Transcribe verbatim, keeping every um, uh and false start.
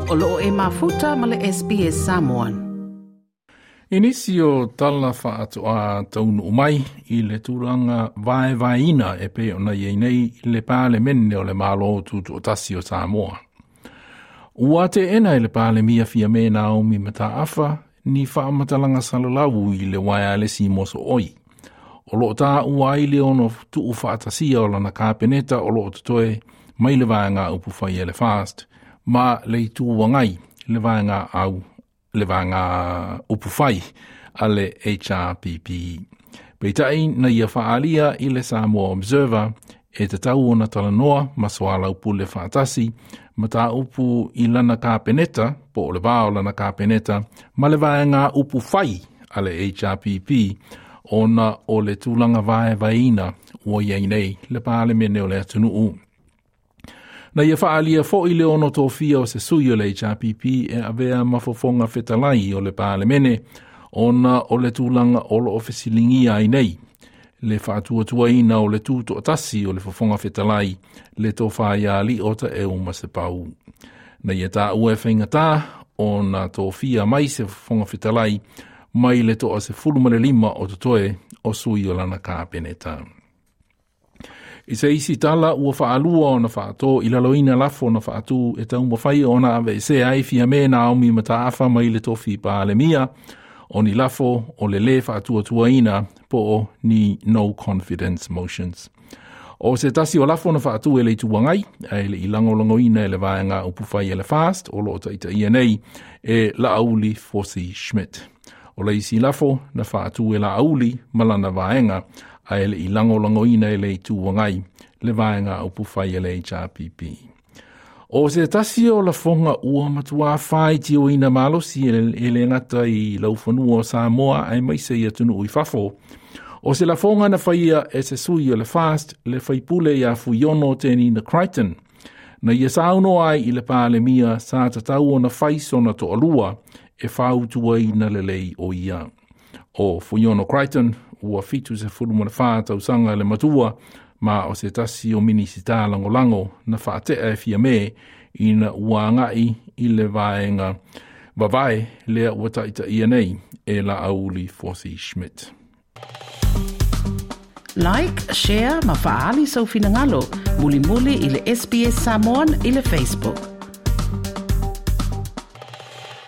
O loo e mafuta ma le S B S Samoan. I nisi o tala whaatoa taunu mai i le tūranga vaevaeina e pe ona iei nei le pālemene o le Malo Tutoatasi o Samoa. Ua te ena i le pālemia fia me Naomi Mataafa ni whaamatalanga salalau i le waialesi moso oi. O loo tā ua ai le ono tuu whaatasia o lana kāpeneta o loo totoe mai le vaenga upu whai e le fast, ma le itu wangai le vaenga au le vaenga upu whai a le H R P P. Peitai na ia whaalia i le Samoa Observer e te tau ona talanoa masoala upu le whaatasi, ma tā upu i lana kāpeneta, po o le vāo lana kāpeneta, ma le vaenga upu whai a le H R P P, ona o le tūlanga vaevaeina ua iai nei le pālemene o le atunuu. Na ia whaalia fo i le ono tōfia o se sui o le H R P P e avea mafofonga fetalai o le pālemene, ona o le tūlanga o lo ofesilingia ai nei. Le whaatuatuaina o le tūtoatasi o le fofonga fetalai, le tōwha ia ali o ta e uma se pau. Na ia tā ua e whaingatā o na tōfia mai se fofonga fetalai, mai le toa se fulu ma le lima o totoe o sui o lana kāpeneta. I se isi tala ua whaalua o na whaatō i laloina lafo na whaatū e taumawhai o na ave se ai fia me Naomi Mataafa mai le tofi pālemia o ni lafo o le le whaatuatuaina po o ni no confidence motions. O se tasi o lafo na whaatu e le tuangai, a ele i langolangoina e le vaenga upuwhai e le fast o lo taita ia nei e Laauli Fosi Schmidt. O le isi lafo na whaatu e Laauli malana vaenga a ele i langolangoina e le tuangai le vaenga upuwhai e le H R P P. O se tasi o lafonga ua matua whai tio ina malosi e le ngata i laufanua o Samoa ai mai se i atunu i fafo. O se lafonga na whaia e se sui o le fast le whaipule ia Fuiono Tenina Crichton. Na ia sauno ai i le pālemia sa tatau o na whaiso na to'alua e whautua ina le lei o ia. O Fuiono Crichton ua fitu se fulu mana whā tausanga le matua ma o se tasi o minisita langolango na whaatea e fia me ina ua ngai i le vaenga vavae lea ua taita ia nei e Laauli Fosi Schmidt. Like, share, ma faali sau finangalo, muli muli i le S B S Samoan i le Facebook.